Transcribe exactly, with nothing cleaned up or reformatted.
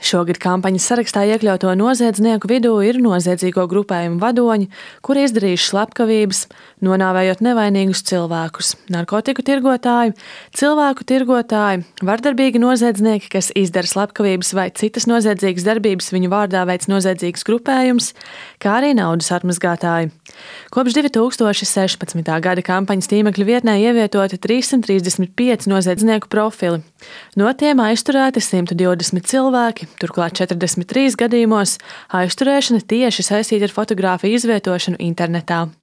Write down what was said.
Šogad kampaņas sarakstā iekļauto noziedznieku vidū ir noziedzīgo grupējumu vadoņi, kuri izdarījuši slepkavības, nonāvējot nevainīgus cilvēkus, narkotiku tirgotāji, cilvēku tirgotāji, vardarbīgi noziedznieki, kas izdara slepkavības vai citas noziedzīgas darbības viņu vārdā veic noziedzīgs grupējums, kā arī naudas atmazgātāji. Kopš divi tūkstoši sešpadsmitā gada kampaņas tīmekļa vietnē ievietoti trīssimt trīsdesmit pieci noziedznieku profili. No tiem aizturēti simt divdesmit cilvēki, turklāt četrdesmit trīs gadījumos aizturēšana tieši saistīta ar fotogrāfiju izvietošanu internetā.